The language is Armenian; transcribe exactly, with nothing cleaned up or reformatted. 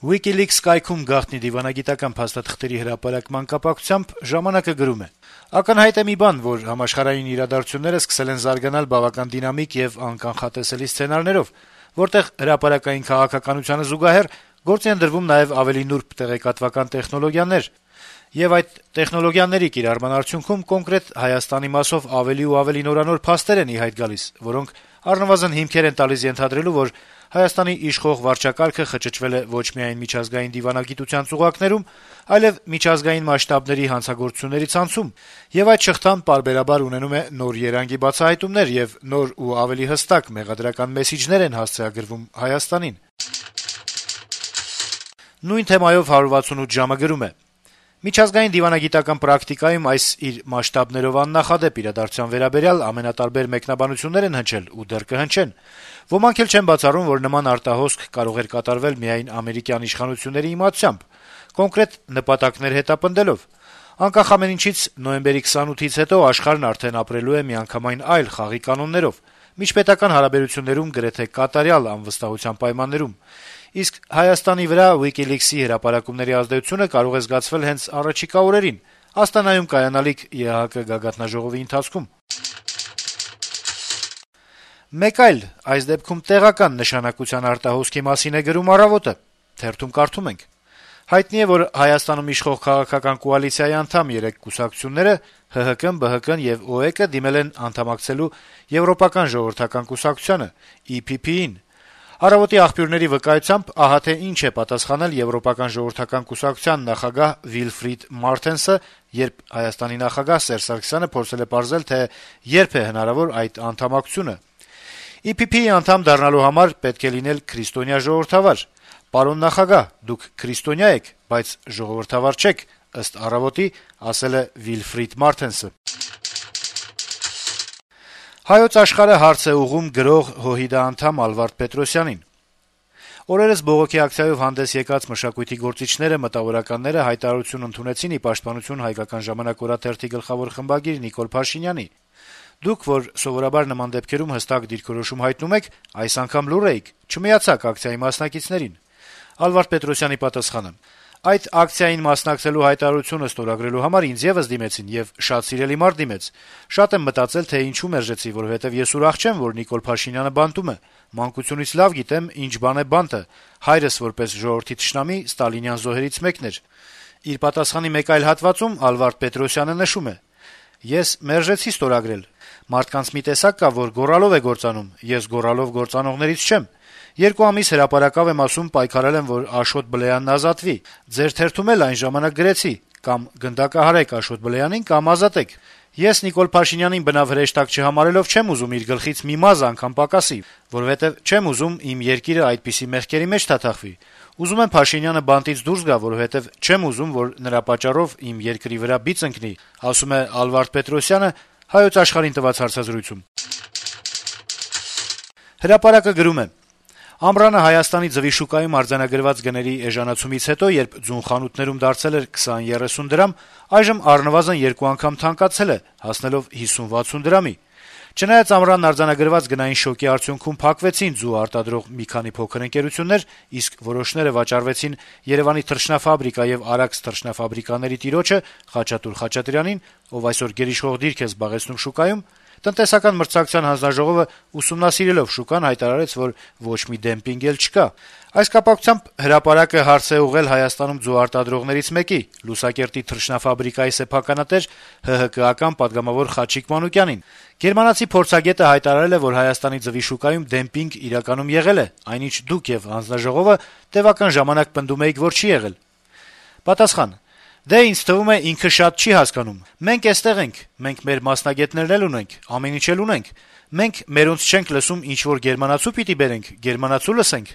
WikiLeaks կայքում գաղտնի դիվանագիտական փաստաթղթերի հրապարակման կապակցությամբ «Ժամանակ»-ը գրում է. - «Ակնհայտ է մի բան, որ համաշխարհային իրադարձությունները սկսել են զարգանալ բավական դինամիկ եւ անկանխատեսելի սցենարներով, որտեղ հրապարակային քաղաքականությանը զուգահեռ գործի են դրվում նաեւ ավելի նուրբ տեղեկատվական տեխնոլոգիաներ, եւ այդ տեխնոլոգիաների կիրառման արդյունքում կոնկրետ Հայաստանի մասով ավելի ու ավելի նորանոր փաստեր են ի հայտ գալիս, որոնք առնվազն հիմքեր են տալիս ենթադրելու, որ Հայաստանի իշխող վարչակարգը խճճվել է ոչ միայն միջազգային դիվանագիտության ծուղակներում, այլեւ միջազգային մասշտաբների հանցագործությունների ցանցում, եւ այդ շղթան պարբերաբար ունենում է նոր երանգի բացահայտումներ եւ նոր ու ավելի հստակ մեղադրական մեսիջներ են հասցեագրվում Հայաստանին»։ Նույն թեմայով «հարյուր վաթսունութ ժամ»-ը գրում է. - «Միջազգային դիվանագիտական պրակտիկայում այս իր մասշտաբներով աննախադեպ իրադարձության վերաբերյալ ամենատարբեր մեկնաբանություններ են հնչել ու դեռ կհնչեն: Ոմանք էլ չեն բացառում, որ նման արտահոսք կարող էր կատարվել միայն ամերիկյան իշխանությունների իմացությամբ, կոնկրետ նպատակներ հետապնդելով: Անկախ ամեն ինչից, նոյեմբերի քսանութից հետո աշխարհն արդեն ապրելու է միանգամայն այլ խաղի կանոններով, միջպետական հարաբերություններում գրեթե կատարյալ անվստահության պայմաններում: Իսկ Հայաստանի վրա WikiLeaks-ի հրապարակումների ազդեցությունը կարող է զգացվել հենց առաջիկա օրերին, Աստանայում կայանալիք ԵԱՀԿ գագաթնաժողովի ընթացքում»: Մեկ այլ, այս դեպքում տեղական նշանակության արտահոսքի մասին է գրում «Առավոտ»-ը: Թերթում կարդում ենք. - «Հայտնի է, որ Հայաստանում իշխող քաղաքական կոալիցիայի անդամ երեք կուսակցությունները` ՀՀԿ-ն, ԲՀԿ-ն եւ ՕԵԿ-ը դիմել են անդամակցելու Եվրոպական ժողովրդական կուսակցությանը` ի փի փի-ին: «Առավոտ»-ի աղբյուրների վկայությամբ ահա թե ինչ է պատասխանել Եվրոպական ժողովրդական կուսակցության նախագահ Վիլֆրիդ Մարտենսը, երբ Հայաստանի նախագահ Սերժ Սարգսյանը փորձել է պարզել, թե երբ է հնարավոր այդ անդամակցությունը. «Ի փի փի-ի անդամ դառնալու համար պետք է լինել քրիստոնյա ժողովրդավար: Պարոն նախագահ, դուք քրիստոնյա եք, բայց ժողովրդավար չեք», ըստ «Առավոտ»-ի, ասել է Վիլֆրիդ Մարտենսը»: «Հայոց Աշխարհ»-ը հարց է ուղղում գրող ՀՅԴ անդամ Ալվարդ Պետրոսյանին. - «Օրերս բողոքի ակցիայով հանդես եկած մշակույթի գործիչները, մտավորականները հայտարարություն ընդունեցին ի պաշտպանություն «Հայկական ժամանակ» օրաթերթի գլխավոր խմբագիր Նիկոլ Փաշինյանի: Դուք, որ սովորաբար նման դեպքերում հստակ դիրքորոշում հայտնում եք, այս անգամ լուռ էիք, չմիացաք ակցիայի մասնակիցներին»: Ալվարդ Պետրոսյանի պատասխանը. - «Այդ ակցիային մասնակցելու հայտարարությունը ստորագրելու համար ինձ եւս դիմեցին, եւ շատ սիրելի մարդ դիմեց: Շատ եմ մտածել, թե ինչու մերժեցի, որովհետեւ ես ուրախ չեմ, որ Նիկոլ Փաշինյանը բանտում է: Մանկությունից լավ գիտեմ ինչ բան է բանտը: Հայրս որպես ժողովրդի թշնամի ստալինյան զոհերից մեկն էր»: Իր պատասխանի մեկ այլ հատվածում Ալվարդ Պետրոսյանը նշում է. - «Ես մերժեցի ստորագրել: Մարդկանց մի տեսակ կա, որ գոռալով է գործանում: Ես գոռալով գործանողներից չեմ: Երկու ամիս հրապարակավ եմ ասում, պայքարել եմ, որ Աշոտ Բլեյանն ազատվի: Ձեր թերթում էլ այն ժամանակ գրեցի` կամ գնդակահարեք Աշոտ Բլեյանին, կամ ազատեք: Ես Նիկոլ Փաշինյանին բնավ հրեշտակ չհամարելով չեմ ուզում իր գլխից մի մազը անգամ պակասի, որովհետեւ չեմ ուզում իմ երկիրը այդպիսի մեղքերի մեջ թաթախվի: Ուզում եմ Փաշինյանը բանտից դուրս գա, որովհետեւ չեմ ուզում, որ նրա պատճառով իմ երկրի վրա բիծ ընկնի», - ասում է Ալվարդ Պետրոսյանը «Հայոց Աշխարհ»-ին տված հարցազրույցում: «Հրապարակ»-ը գրում է. - «Ամռանը Հայաստանի ձվի շուկայում արձանագրված գների էժանացումից հետո, երբ ձուն խանութներում դարձել էր քսան երեսուն դրամ, այժմ առնվազն երկու անգամ թանկացել է, հասնելով հիսուն-վաթսուն դրամի: Չնայած ամռան արձանագրված գնային շոկի արդյունքում փակվեցին ձու արտադրող մի քանի փոքր ընկերություններ, իսկ որոշները վաճառվեցին Երեւանի թռչնաֆաբրիկա եւ Արաքս թռչնաֆաբրիկաների տիրոջը Խաչատուր Խաչատրյանին, ով այսօր գերիշխող դիրք է զբաղեցնում շուկայում, Տնտեսական մրցակցության հանձնաժողովը ուսումնասիրելով շուկան հայտարարեց, որ ոչ մի դեմպինգ էլ չկա: Այս կապակցությամբ «Հրապարակ»-ը հարց է ուղղել Հայաստանում ձու արտադրողներից մեկի` Լուսակերտի թռչնաֆաբրիկայի սեփականատեր, ՀՀԿ-ական պատգամավոր Խաչիկ Մանուկյանին: Գերմանացի փորձագետը հայտարարել է, որ Հայաստանի ձվի շուկայում դեմպինգ իրականում եղել է, այնինչ դուք եւ հանձնաժողովը տեւական ժամանակ պնդում էիք, որ չի եղել: Պատասխան. «Դե, ինձ թվում է, ինքը շատ չի հասկանում: Մենք էստեղ ենք, մենք մեր մասնագետներն էլ ունենք, ամեն ինչ էլ ունենք: Մենք մերոնց չենք լսում ինչ-որ գերմանացու պիտի բերենք, գերմանացու լսենք»: